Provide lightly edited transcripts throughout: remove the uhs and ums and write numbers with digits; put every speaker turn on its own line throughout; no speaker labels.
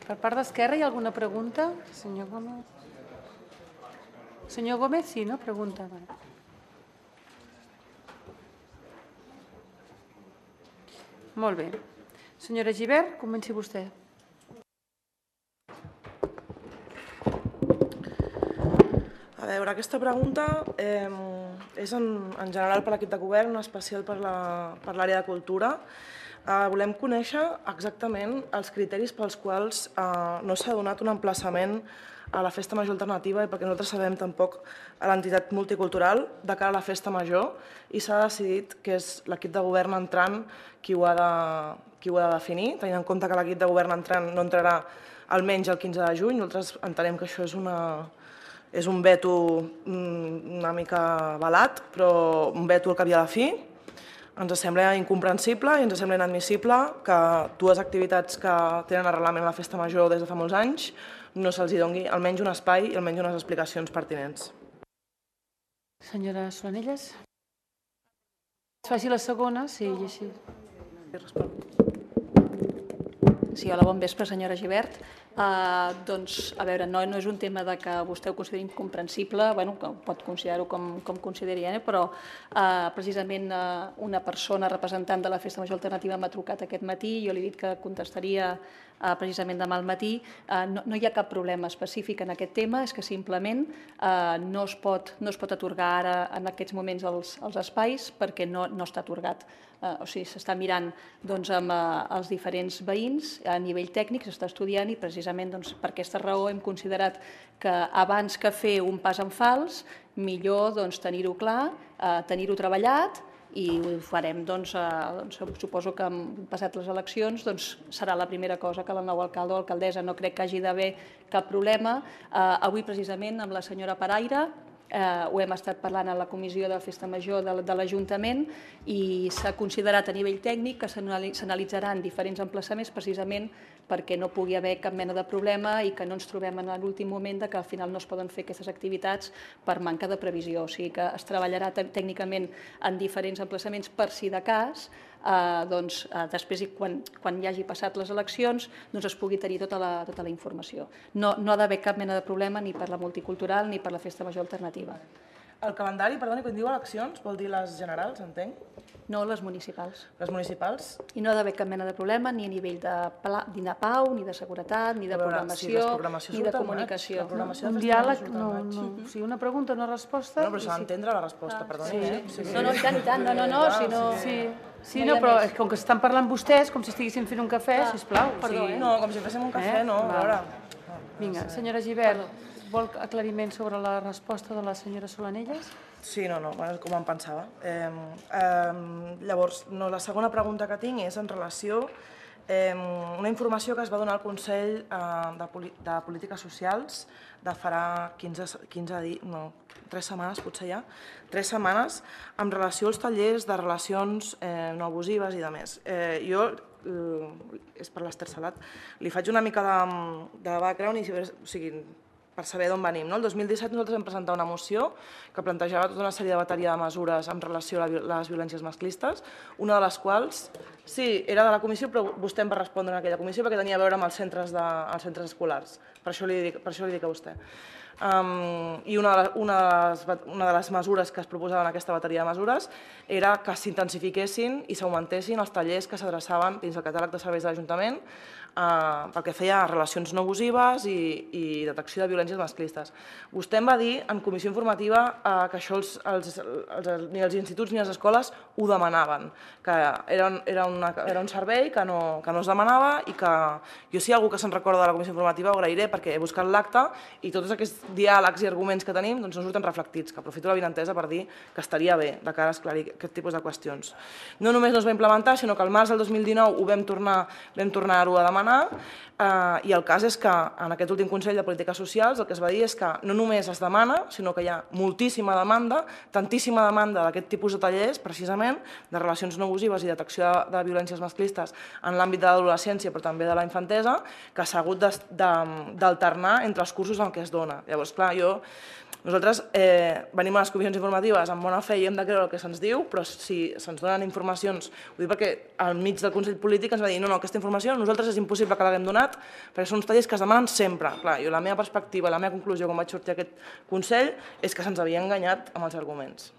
Per part d'Esquerra hi ha alguna pregunta? Senyor Gómez? Senyor Gómez, sí, no? Pregunta. Molt bé. Senyora Gibert, comenci vostè.
A veure, aquesta pregunta és en general per l'equip de govern, en especial per l'àrea de cultura. Volem conèixer exactament els criteris pels quals no s'ha donat un emplaçament a la Festa Major Alternativa i perquè nosaltres sabem tampoc a l'entitat multicultural de cara a la Festa Major i s'ha decidit que és l'equip de govern entrant qui ho ha de definir, tenint en compte que l'equip de govern entrant no entrarà almenys el 15 de juny. Nosaltres entenem que això és un veto una mica balat, però un veto al cap i a la fi. Ens sembla incomprensible i ens sembla inadmissible que dues activitats que tenen arrelament a la Festa Major des de fa molts anys no se'ls doni almenys un espai i almenys unes explicacions pertinents.
Senyora Solanelles? Faci la segona, sí, i així.
Sí, hola, bon vespre, senyora Gibert. Doncs, a veure, no és un tema que vostè ho consideri incomprensible, que pot considerar-ho com consideri, però precisament una persona representant de la Festa Major Alternativa m'ha trucat aquest matí, jo li he dit que contestaria precisament demà al matí. No hi ha cap problema específic en aquest tema, és que simplement no es pot atorgar ara en aquests moments els espais perquè no està atorgat. O sigui, s'està mirant amb els diferents veïns, a nivell tècnic s'està estudiant i precisament per aquesta raó hem considerat que abans que fer un pas en fals, millor tenir-ho clar, tenir-ho treballat i ho farem, suposo que passat les eleccions serà la primera cosa que el nou alcalde o alcaldessa. No crec que hagi d'haver cap problema. Avui precisament amb la senyora Paraire ho hem estat parlant a la comissió de Festa Major de l'Ajuntament i s'ha considerat a nivell tècnic que s'analitzaran diferents emplaçaments precisament perquè no pugui haver cap mena de problema i que no ens trobem en l'últim moment que al final no es poden fer aquestes activitats per manca de previsió. O sigui que es treballarà tècnicament en diferents emplaçaments per si de cas, després quan hi hagi passat les eleccions es pugui tenir tota la informació. No ha d'haver cap mena de problema ni per la multicultural ni per la Festa Major Alternativa.
El calendari, perdoni, quan diu eleccions, vol dir les generals, entenc?
No, les municipals.
Les municipals?
I no ha d'haver cap mena de problema ni a nivell de pau, ni de seguretat, ni de programació, ni de comunicació.
Un diàleg, no. O sigui, una pregunta, una resposta...
No, però s'ha d'entendre la resposta, perdoni.
No, i tant, no.
Sí, no, però com que estan parlant vostès, com si estiguessin fent un cafè, sisplau.
No, com si féssim un cafè, no, a veure.
Vinga, senyora Gibert, vol aclariment sobre la resposta de la senyora Solanelles?
Sí, no, com em pensava. Llavors, la segona pregunta que tinc és en relació a una informació que es va donar al Consell de Polítiques Socials de farà 3 setmanes, potser ja, 3 setmanes, en relació als tallers de relacions no abusives i de més. Jo, és per l'Ester Salat, li faig una mica de background, o sigui, per saber d'on venim. El 2017 nosaltres vam presentar una moció que plantejava tota una sèrie de bateria de mesures en relació a les violències masclistes, una de les quals, sí, era de la comissió, però vostè em va respondre en aquella comissió perquè tenia a veure amb els centres escolars. Per això li dic a vostè. I una de les mesures que es proposaven en aquesta bateria de mesures era que s'intensifiquessin i s'augmentessin els tallers que s'adreçaven dins el catàleg de serveis de l'Ajuntament pel que feia a relacions no abusives i detecció de violències masclistes. Vostè em va dir en comissió informativa que això ni els instituts ni les escoles ho demanaven, que era un servei que no es demanava i que jo, si hi ha algú que se'n recorda de la comissió informativa, ho agrairé perquè he buscat l'acte i tots aquests diàlegs i arguments que tenim no surten reflectits, que aprofito l'avinentesa per dir que estaria bé de cara a esclarir aquest tipus de qüestions. No només no es va implementar, sinó que al març del 2019 ho vam tornar-ho a demanar i el cas és que en aquest últim Consell de Polítiques Socials el que es va dir és que no només es demana, sinó que hi ha moltíssima demanda, tantíssima demanda d'aquest tipus de tallers, precisament, de relacions no abusives i detecció de violències masclistes en l'àmbit de l'adolescència però també de la infantesa, que s'ha hagut d'alternar entre els cursos en què es dona. Llavors, clar, jo Nosaltres venim a les comissions informatives amb bona fe i hem de creure el que se'ns diu, però si se'ns donen informacions, ho dic perquè al mig del Consell Polític ens va dir no, aquesta informació a nosaltres és impossible que l'haguem donat perquè són uns tallers que es demanen sempre. Clar, jo la meva perspectiva, la meva conclusió quan vaig sortir a aquest Consell és que se'ns havia enganyat amb els arguments.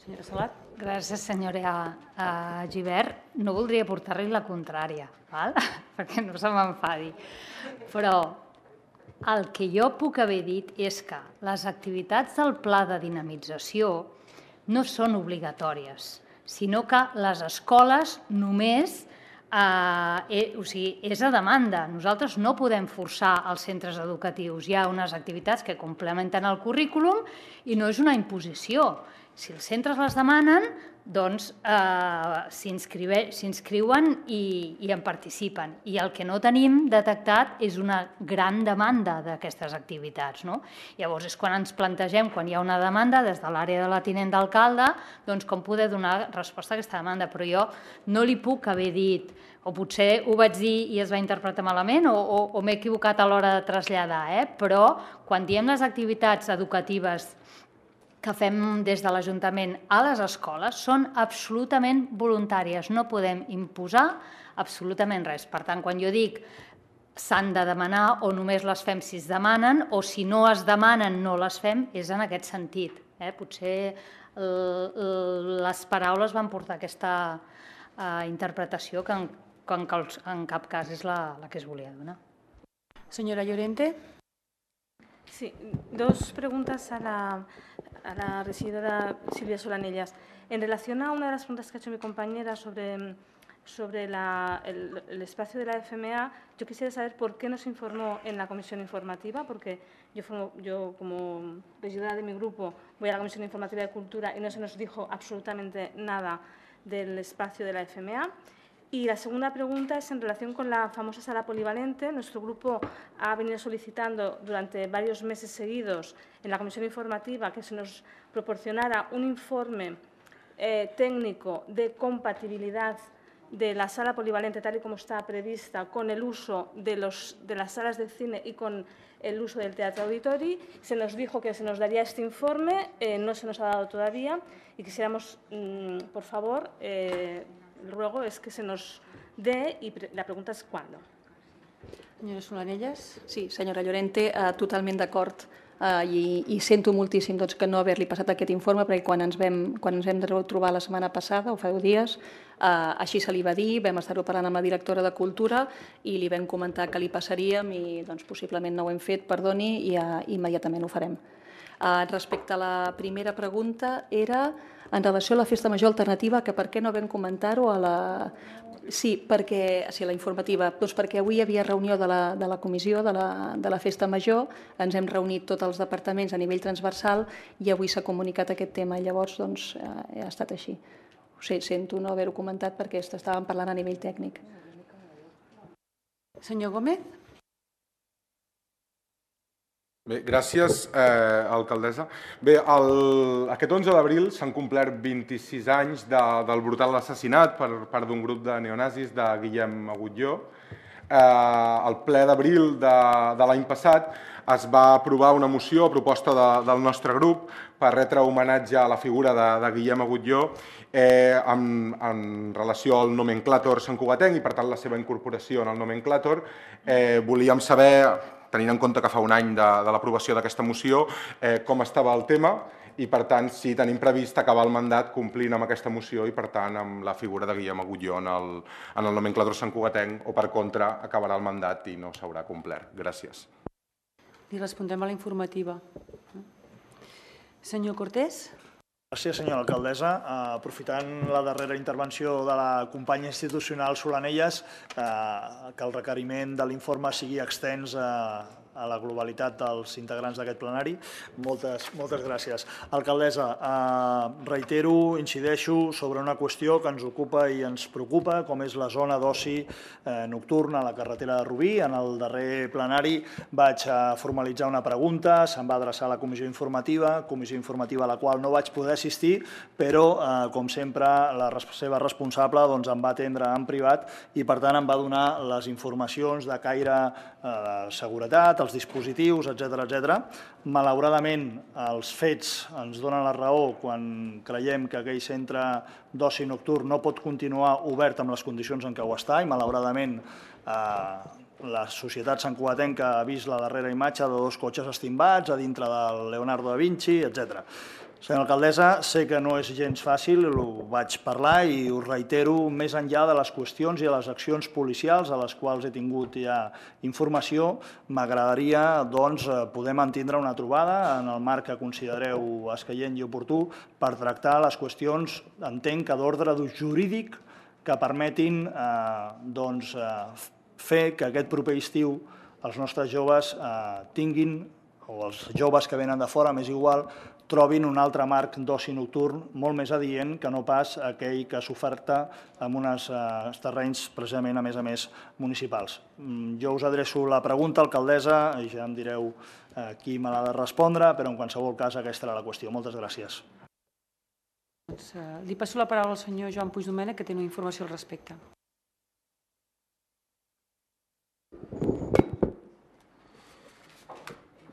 Senyora Salat.
Gràcies, senyora Gibert. No voldria portar-li la contrària, perquè no se m'enfadi. Però el que jo puc haver dit és que les activitats del pla de dinamització no són obligatòries, sinó que les escoles només és a demanda. Nosaltres no podem forçar els centres educatius. Hi ha unes activitats que complementen el currículum i no és una imposició. Si els centres les demanen, doncs s'inscriuen i en participen. I el que no tenim detectat és una gran demanda d'aquestes activitats. Llavors és quan ens plantegem, quan hi ha una demanda des de l'àrea de la tinent d'alcalde, doncs com poder donar resposta a aquesta demanda. Però jo no li puc haver dit, o potser ho vaig dir i es va interpretar malament, o m'he equivocat a l'hora de traslladar, però quan diem les activitats educatives que fem des de l'Ajuntament a les escoles són absolutament voluntàries, no podem imposar absolutament res. Per tant, quan jo dic s'han de demanar o només les fem si es demanen o si no es demanen no les fem, és en aquest sentit. Potser les paraules van portar aquesta interpretació que en cap cas és la que es volia donar.
Señora Llorente.
Sí, dos preguntas a la regidora Silvia Solanellas. En relación a una de las preguntas que ha hecho mi compañera sobre el espacio de la FMA, yo quisiera saber por qué no se informó en la comisión informativa, porque yo como regidora de mi grupo voy a la comisión informativa de Cultura y no se nos dijo absolutamente nada del espacio de la FMA. Y la segunda pregunta es en relación con la famosa sala polivalente. Nuestro grupo ha venido solicitando durante varios meses seguidos en la comisión informativa que se nos proporcionara un informe técnico de compatibilidad de la sala polivalente tal y como está prevista con el uso de las salas de cine y con el uso del teatro auditori. Se nos dijo que se nos daría este informe, no se nos ha dado todavía y quisiéramos, por favor, el ruego es que se nos dé y la pregunta es ¿cuándo?
Senyora Solanellas.
Sí, senyora Llorente, totalment d'acord i sento moltíssim que no haver-li passat aquest informe perquè quan ens vam trobar la setmana passada, o fa 10 dies, així se li va dir, vam estar-ho parlant amb la directora de Cultura i li vam comentar que li passaríem i possiblement no ho hem fet, perdoni, i immediatament ho farem. Respecte a la primera pregunta era en relació a la festa major alternativa, que per què no vam comentar-ho a la... Sí, a la informativa, doncs perquè avui hi havia reunió de la comissió de la festa major, ens hem reunit tots els departaments a nivell transversal i avui s'ha comunicat aquest tema i llavors doncs ha estat així. Sento no haver-ho comentat perquè estàvem parlant a nivell tècnic.
Senyor Gómez.
Bé, gràcies, alcaldessa. Bé, aquest 11 d'abril s'han complert 26 anys del brutal assassinat per part d'un grup de neonazis de Guillem Agulló. Al ple d'abril de l'any passat es va aprovar una moció a proposta del nostre grup per retre homenatge a la figura de Guillem Agulló en relació al nomenclàtor santcugatenc i, per tant, la seva incorporació en el nomenclàtor. Volíem saber, tenint en compte que fa un any de l'aprovació d'aquesta moció, com estava el tema i, per tant, si tenim previst acabar el mandat complint amb aquesta moció i, per tant, amb la figura de Guillem Agulló en el nomenclàtor santcugatenc o, per contra, acabarà el mandat i no s'haurà complert. Gràcies.
Li respondrem a la informativa. Senyor Cortés.
Gràcies, senyora alcaldessa. Aprofitant la darrera intervenció de la companya institucional Solanellas, que el requeriment de l'informe sigui extens a la globalitat dels integrants d'aquest plenari. Moltes gràcies. Alcaldessa, reitero, incideixo sobre una qüestió que ens ocupa i ens preocupa, com és la zona d'oci nocturna a la carretera de Rubí. En el darrer plenari vaig formalitzar una pregunta, se'm va adreçar a la comissió informativa a la qual no vaig poder assistir, però, com sempre, la seva responsable em va atendre en privat i, per tant, em va donar les informacions de caire de seguretat, els dispositius, etc. Malauradament, els fets ens donen la raó quan creiem que aquell centre d'oci nocturn no pot continuar obert amb les condicions en què ho està i, malauradament, la societat santcugatenca ha vist la darrera imatge de 2 cotxes estimbats a dintre del Leonardo da Vinci, etc. Senyora alcaldessa, sé que no és gens fàcil, ho vaig parlar i ho reitero, més enllà de les qüestions i de les accions policials a les quals he tingut ja informació, m'agradaria poder mantindre una trobada en el marc que considereu escaient i oportú per tractar les qüestions, entenc que d'ordre jurídic, que permetin fer que aquest proper estiu els nostres joves tinguin, o els joves que venen de fora, m'és igual, trobin un altre marc d'oci nocturn molt més adient que no pas aquell que s'oferta en uns terrenys, precisament, a més, municipals. Jo us adreço la pregunta, alcaldessa, i ja em direu qui me l'ha de respondre, però en qualsevol cas aquesta era la qüestió. Moltes gràcies.
Li passo la paraula al senyor Joan Puigdomènech, que té una informació al respecte.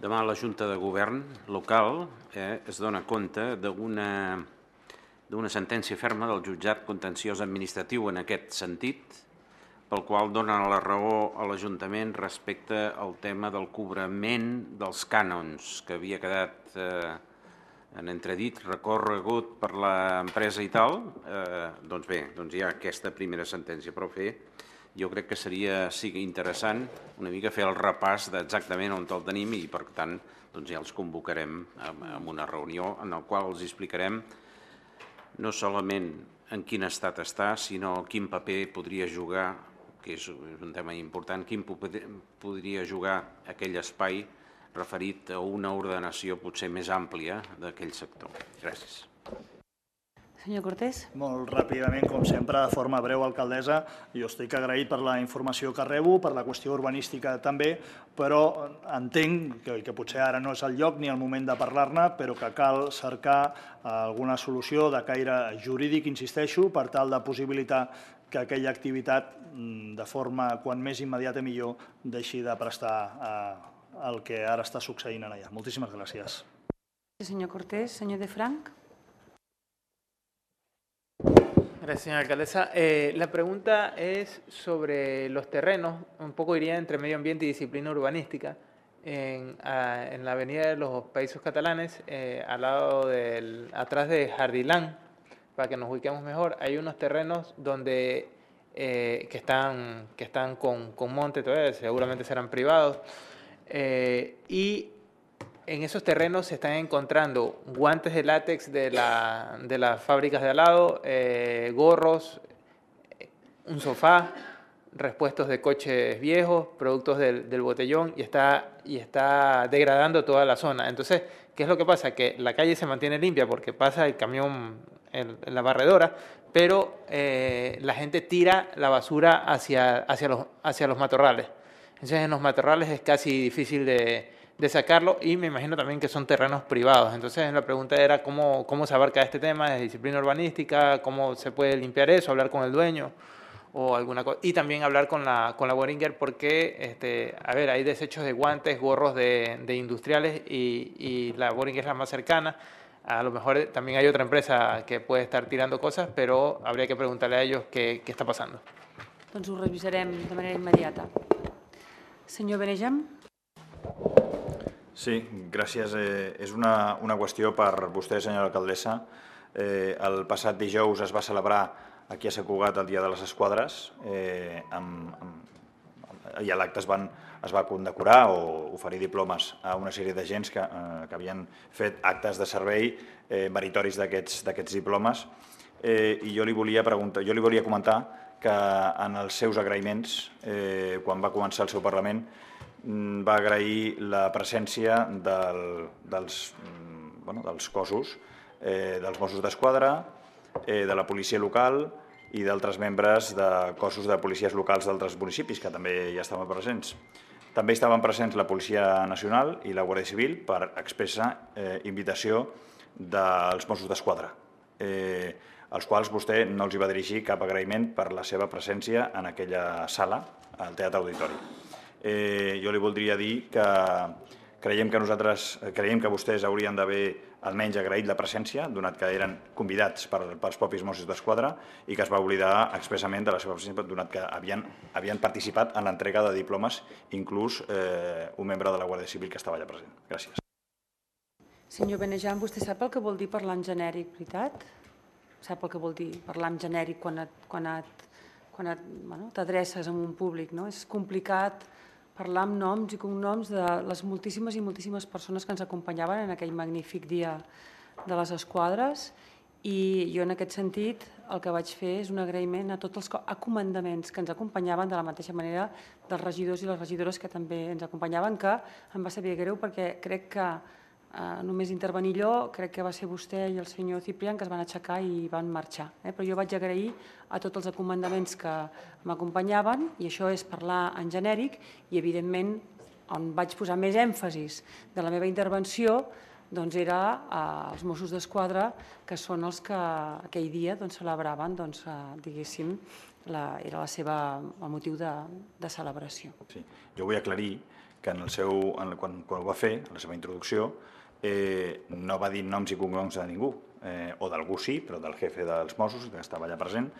Demà la Junta de Govern local es dona compte d'una sentència ferma del jutjat contenciós administratiu en aquest sentit, pel qual dona la raó a l'Ajuntament respecte al tema del cobrament dels cànons, que havia quedat en entredit, recorregut per l'empresa i tal. Doncs bé, hi ha aquesta primera sentència, però jo crec que seria interessant una mica fer el repàs d'exactament on el tenim i, per tant, ja els convocarem a una reunió en la qual els explicarem no solament en quin estat està, sinó quin paper podria jugar, que és un tema important, quin paper podria jugar aquell espai referit a una ordenació potser més àmplia d'aquell sector. Gràcies.
Senyor Cortés.
Molt ràpidament, com sempre, de forma breu, alcaldessa. Jo estic agraït per la informació que rebo, per la qüestió urbanística també, però entenc que potser ara no és el lloc ni el moment de parlar-ne, però que cal cercar alguna solució de caire jurídic, insisteixo, per tal de possibilitar que aquella activitat, de forma quan més immediata millor, deixi de prestar el que ara està succeint allà. Moltíssimes gràcies.
Senyor Cortés. Senyor De Frank.
Gracias, señora alcaldesa. La pregunta es sobre los terrenos, un poco iría entre medio ambiente y disciplina urbanística, en la avenida de los Països Catalanes, atrás de Jardilán, para que nos ubiquemos mejor. Hay unos terrenos donde, que están con monte todavía, seguramente serán privados, y en esos terrenos se están encontrando guantes de látex de las fábricas de al lado, gorros, un sofá, repuestos de coches viejos, productos del botellón, y está degradando toda la zona. Entonces, ¿qué es lo que pasa? Que la calle se mantiene limpia porque pasa el camión en la barredora, pero la gente tira la basura hacia los matorrales. Entonces, en los matorrales es casi difícil de sacarlo, y me imagino también que son terrenos privados. Entonces la pregunta era cómo se abarca este tema de disciplina urbanística, cómo se puede limpiar eso, hablar con el dueño o alguna cosa, y también hablar con la Boehringer, porque hay desechos de guantes, gorros de industriales, y la Boehringer es la más cercana. A lo mejor también hay otra empresa que puede estar tirando cosas, pero habría que preguntarle a ellos qué está pasando.
Doncs ho revisarem de manera immediata. Senyor Benejam.
Sí, gràcies. És una qüestió per vostè, senyora alcaldessa. El passat dijous es va celebrar aquí a Sant Cugat el Dia de les Esquadres, i a l'acte es va condecorar o oferir diplomes a una sèrie d'agents que havien fet actes de servei meritoris d'aquests diplomes. I jo li volia comentar que en els seus agraïments, quan va començar el seu Parlament, va agrair la presència dels cossos, dels Mossos d'Esquadra, de la policia local i d'altres membres de cossos de policies locals d'altres municipis que també hi estaven presents. També estaven presents la Policia Nacional i la Guàrdia Civil per expressa invitació dels Mossos d'Esquadra, als quals vostè no els va dirigir cap agraïment per la seva presència en aquella sala, al Teatre Auditori. Jo li voldria dir que creiem que vostès haurien d'haver almenys agraït la presència, donat que eren convidats pels propis Mossos d'Esquadra i que es va oblidar expressament de la seva presència, donat que havien participat en l'entrega de diplomes, inclús un membre de la Guàrdia Civil que estava allà present. Gràcies.
Senyor Benejam, vostè sap el que vol dir parlar en genèric, veritat? Sap el que vol dir parlar en genèric quan t'adreces a un públic, no? És complicat parlar amb noms i cognoms de les moltíssimes i moltíssimes persones que ens acompanyaven en aquell magnífic dia de les esquadres, i jo en aquest sentit el que vaig fer és un agraïment a tots els comandaments que ens acompanyaven, de la mateixa manera dels regidors i les regidores que també ens acompanyaven, que em va saber greu perquè crec que només intervenir jo, crec que va ser vostè i el senyor Ciprián que es van aixecar i van marxar. Però jo vaig agrair a tots els comandaments que m'acompanyaven, i això és parlar en genèric, i evidentment on vaig posar més èmfasis de la meva intervenció doncs era als Mossos d'Esquadra, que són els que aquell dia celebraven, diguéssim, era el motiu de celebració.
Jo vull aclarir que quan ho va fer, en la seva introducció, no va dir noms i cognoms de ningú, o d'algú sí, però del jefe dels Mossos, que estava allà present,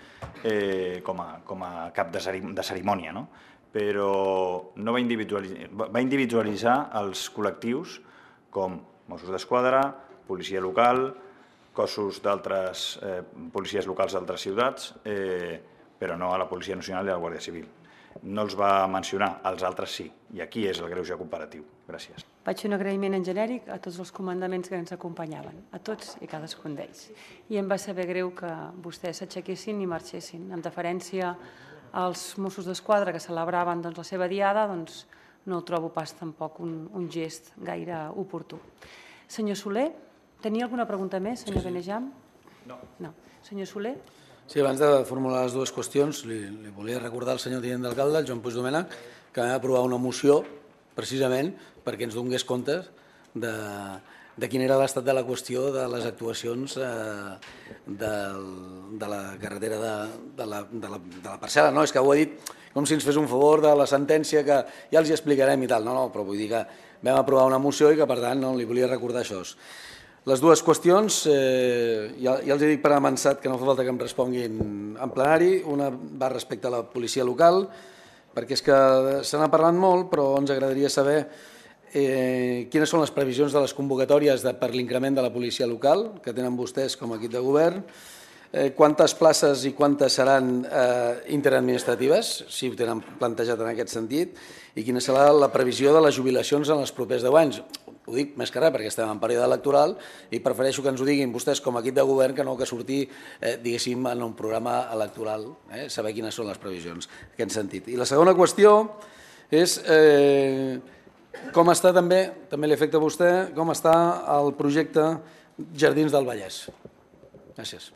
com a cap de cerimònia, no? Però no va individualitzar els col·lectius com Mossos d'Esquadra, policia local, cossos d'altres policies locals d'altres ciutats, però no a la Policia Nacional i a la Guàrdia Civil. No els va mencionar, els altres sí, i aquí és el greuge comparatiu. Gràcies.
Vaig fer un agraïment en genèric a tots els comandaments que ens acompanyaven, a tots i cadascun d'ells. I em va saber greu que vostès s'aixequessin i marxessin. En deferència als Mossos d'Esquadra que celebraven la seva diada, no ho trobo pas tampoc un gest gaire oportú. Senyor Soler, tenia alguna pregunta més, senyor Benejam? No. Senyor Soler?
Sí, abans de formular les dues qüestions, li volia recordar al senyor tinent d'alcalde, el Joan Puig Domènech, que vam aprovar una moció precisament perquè ens donés comptes de quin era l'estat de la qüestió de les actuacions de la carretera de la parcel·la. No, és que ho ha dit com si ens fes un favor de la sentència que ja els hi explicarem i tal. No, però vull dir que vam aprovar una moció i que, per tant, li volia recordar això. Les dues qüestions, ja els he dit per avançat que no fa falta que em responguin en plenari. Una va respecte a la policia local, perquè és que se n'ha parlat molt, però ens agradaria saber quines són les previsions de les convocatòries per l'increment de la policia local que tenen vostès com a equip de govern, quantes places i quantes seran interadministratives, si ho tenen plantejat en aquest sentit, i quina serà la previsió de les jubilacions en els propers 10 anys. Ho dic més que res perquè estem en període electoral i prefereixo que ens ho diguin vostès com a equip de govern que no que sortir, diguéssim, en un programa electoral, saber quines són les previsions en aquest sentit. I la segona qüestió és com està també li afecta a vostè, com està el projecte Jardins del Vallès. Gràcies.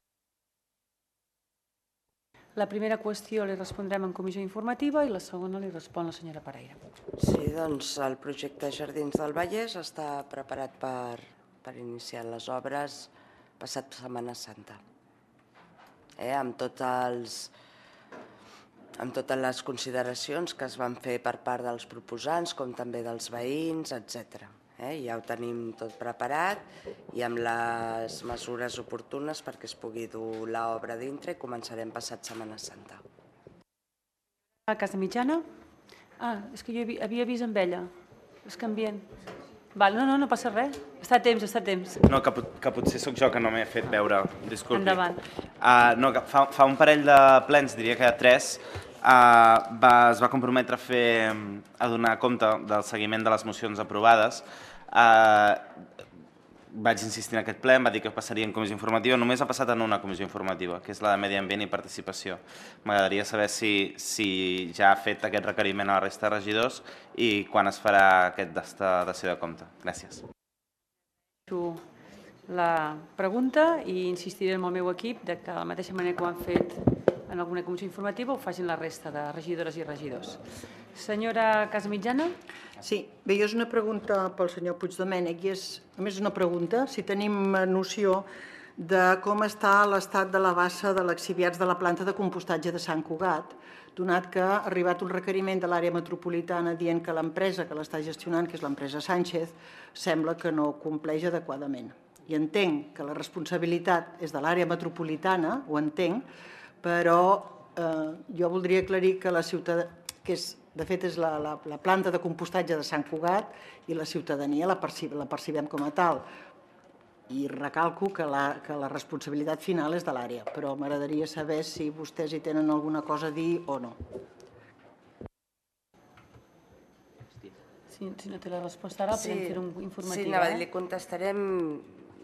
La primera qüestió li respondrem en comissió informativa i la segona li respon la senyora Pereira.
Sí, doncs el projecte Jardins del Vallès està preparat per iniciar les obres passat Setmana Santa. Amb totes les consideracions que es van fer per part dels proposants, com també dels veïns, etc. Ja ho tenim tot preparat i amb les mesures oportunes perquè es pugui dur l'obra dintre i començarem passat Setmana Santa.
A Casa Mitjana? És que jo havia vist amb ella. És canviant. No passa res. Està a temps.
No, que potser sóc jo que no m'he fet veure. Disculpi.
Endavant.
No, fa un parell de plens, diria que 3, es va comprometre a donar compte del seguiment de les mocions aprovades. Vaig insistir en aquest ple, em va dir que passaria en comissió informativa. Només ha passat en una comissió informativa, que és la de Medi Ambient i Participació. M'agradaria saber si ja ha fet aquest requeriment a la resta de regidors i quan es farà aquest dació de compte. Gràcies.
La pregunta i insistiré amb el meu equip que de la mateixa manera que ho han fet en alguna comissió informativa ho facin la resta de regidores i regidors. Senyora Casamitjana?
Sí, bé, jo és una pregunta pel senyor Puig Domènech i és, a més, una pregunta, si tenim noció de com està l'estat de la bassa de l'exhibiats de la planta de compostatge de Sant Cugat, donat que ha arribat un requeriment de l'àrea metropolitana dient que l'empresa que l'està gestionant, que és l'empresa Sánchez, sembla que no compleix adequadament. I entenc que la responsabilitat és de l'àrea metropolitana, ho entenc, però jo voldria aclarir que la ciutadania, que de fet és la planta de compostatge de Sant Cugat, i la ciutadania la percibem com a tal. I recalco que la responsabilitat final és de l'àrea, però m'agradaria saber si vostès hi tenen alguna cosa a dir o no.
Si no té la resposta ara, podem fer un informatiu.
Sí, li contestarem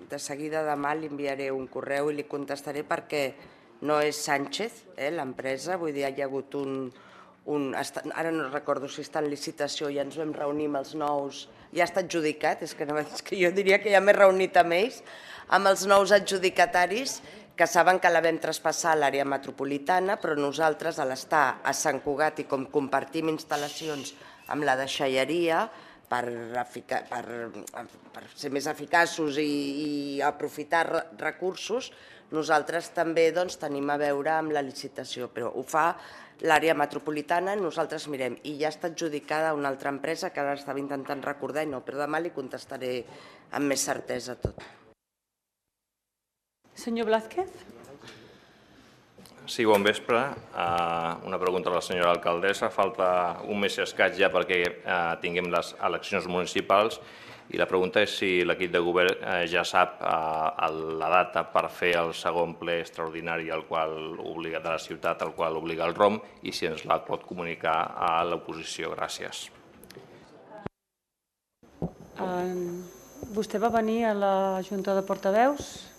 de seguida demà, li enviaré un correu i li contestaré perquè no és Sánchez, l'empresa, vull dir, hi ha hagut ara no recordo si està en licitació, ja ens vam reunir amb els nous, ja està adjudicat, és que jo diria que ja m'he reunit amb ells, amb els nous adjudicataris que saben que la vam traspassar a l'àrea metropolitana, però nosaltres, a l'estar a Sant Cugat i com compartim instal·lacions amb la deixalleria, per ser més eficaços i aprofitar recursos, nosaltres també tenim a veure amb la licitació, però ho fa l'àrea metropolitana, nosaltres mirem, i ja està adjudicada a una altra empresa que ara estava intentant recordar i no, però demà li contestaré amb més certesa tot.
Senyor Blázquez?
Sí, bon vespre. Una pregunta a la senyora alcaldessa. Falta un mes i escaig ja perquè tinguem les eleccions municipals i la pregunta és si l'equip de govern ja sap la data per fer el segon ple extraordinari de la ciutat al qual obliga el ROM i si ens la pot comunicar a l'oposició. Gràcies.
Vostè va venir a la Junta de Portaveus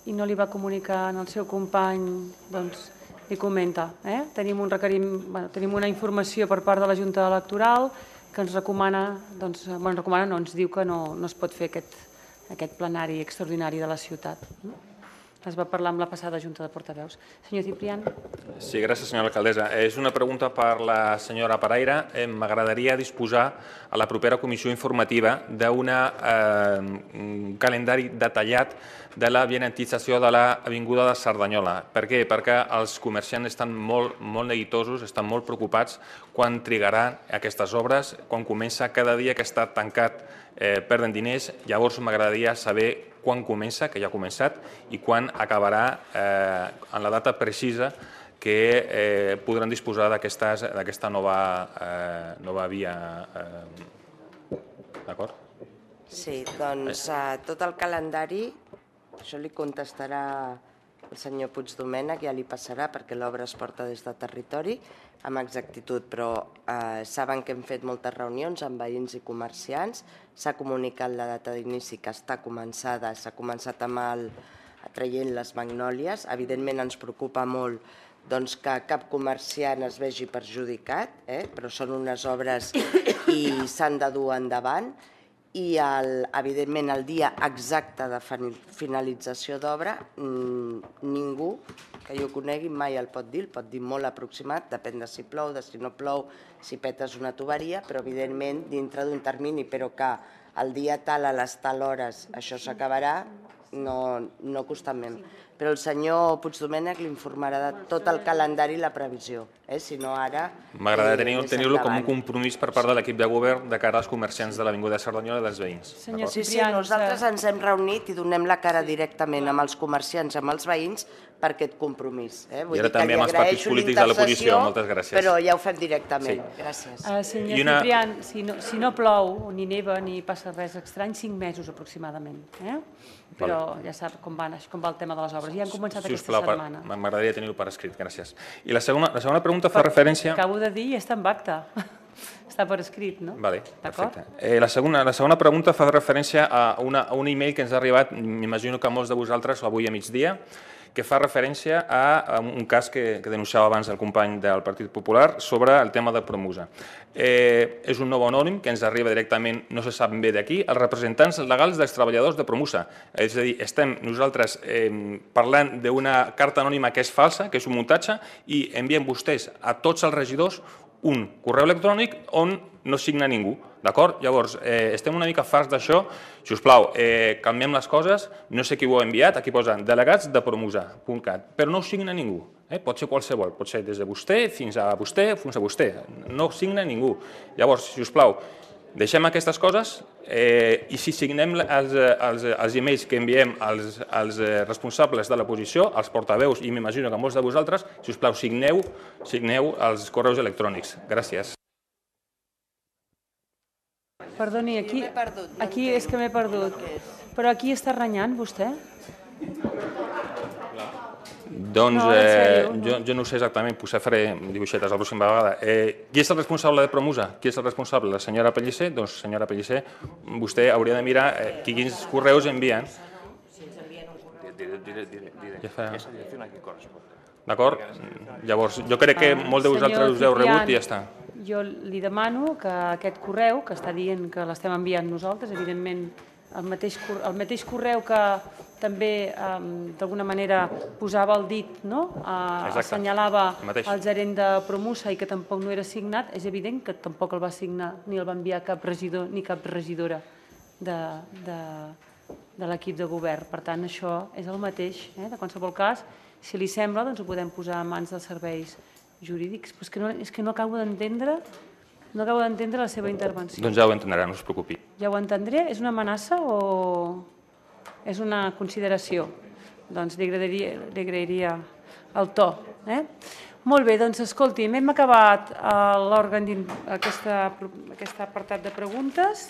i no li va comunicar al seu company, doncs li comenta. Tenim una informació per part de la Junta Electoral que ens recomana, ens diu que no es pot fer aquest plenari extraordinari de la ciutat. Es va parlar amb la passada Junta de Portaveus. Senyor Ciprián.
Sí, gràcies, senyora alcaldessa. És una pregunta per la senyora Paraire. M'agradaria disposar a la propera comissió informativa d'un calendari detallat de la vianantització de l'Avinguda de Cerdanyola. Per què? Perquè els comerciants estan molt neguitosos, estan molt preocupats quan trigaran aquestes obres, quan comença cada dia que està tancat perden diners. Llavors m'agradaria saber quan comença, que ja ha començat, i quan acabarà en la data precisa que podran disposar d'aquesta nova via. D'acord?
Sí, doncs tot el calendari, això li contestarà el senyor Puigdomènech, ja li passarà perquè l'obra es porta des de territori amb exactitud, però saben que hem fet moltes reunions amb veïns i comerciants, s'ha comunicat la data d'inici que està començada, s'ha començat traient les magnòlies. Evidentment ens preocupa molt que cap comerciant es vegi perjudicat, però són unes obres i s'han de dur endavant. I, evidentment, el dia exacte de finalització d'obra, ningú que jo conegui mai el pot dir molt aproximat, depèn de si plou, de si no plou, si petes una tuberia, però, evidentment, dintre d'un termini, però que el dia tal, a les tal hores, això s'acabarà, no constantment. Però el senyor Puigdomènech l'informarà de tot el calendari i la previsió. Si no, ara...
M'agradaria tenir-lo com un compromís per part de l'equip de govern de cara als comerciants de l'Avinguda de Cerdanyola i dels veïns.
Sí, nosaltres ens hem reunit i donem la cara directament amb els comerciants, amb els veïns, per aquest compromís.
I ara també amb els partits polítics de l'oposició. Moltes gràcies.
Però ja ho fem directament. Gràcies.
Senyor Ciprián, si no plou, ni neva, ni passa res estrany, 5 mesos aproximadament. Però ja sap com va el tema de les obres. Ja han començat aquesta setmana.
M'agradaria tenir-ho per escrit, gràcies. I la segona pregunta fa referència...
Acabo de dir i està en acta. Està per escrit, no?
Vale, perfecte. La segona pregunta fa referència a un e-mail que ens ha arribat, m'imagino que a molts de vosaltres, avui a migdia, que fa referència a un cas que denunciava abans el company del Partit Popular sobre el tema de Promusa. És un nou anònim que ens arriba directament, no se sap bé d'aquí, els representants legals dels treballadors de Promusa. És a dir, estem nosaltres parlant d'una carta anònima que és falsa, que és un muntatge, i envien vostès a tots els regidors un correu electrònic on no signa ningú. D'acord? Llavors, estem una mica farts d'això. Si us plau, calmem les coses. No sé qui ho ha enviat, aquí posa delegats de promusa.cat, però no ho signa ningú. Pot ser qualsevol, pot ser des de vostè fins a vostè, fins a vostè. No signa ningú. Llavors, si us plau, deixem aquestes coses i si signem els e-mails que enviem als responsables de l'oposició, als portaveus, i m'imagino que molts de vosaltres, si us plau, signeu els correus electrònics. Gràcies.
Perdoni, aquí és que m'he perdut. Però aquí està renyant, vostè?
Doncs jo no ho sé exactament, potser faré dibuixetes la pròxima vegada. Qui és el responsable de Promusa? Qui és el responsable? La senyora Pellicer? Doncs, senyora Pellicer, vostè hauria de mirar quins correus envien. D'acord? Llavors, jo crec que molts de vosaltres us heu rebut i ja està.
Jo li demano que aquest correu, que està dient que l'estem enviant nosaltres, evidentment el mateix correu que també d'alguna manera posava el dit, assenyalava el gerent de Promusa i que tampoc no era signat, és evident que tampoc el va signar ni el va enviar cap regidor ni cap regidora de l'equip de govern. Per tant, això és el mateix. De qualsevol cas, si li sembla, doncs ho podem posar en mans dels serveis jurídics. Però és que no acabo d'entendre la seva intervenció.
Doncs ja ho entendrà, no us preocupi.
Ja ho entendré? És una amenaça o és una consideració? Doncs li agrairia el to. Molt bé, doncs escolti, hem acabat aquest apartat de preguntes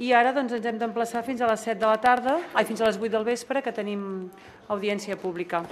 i ara ens hem d'emplaçar fins a les 7 de la tarda, fins a les 8 del vespre, que tenim audiència pública.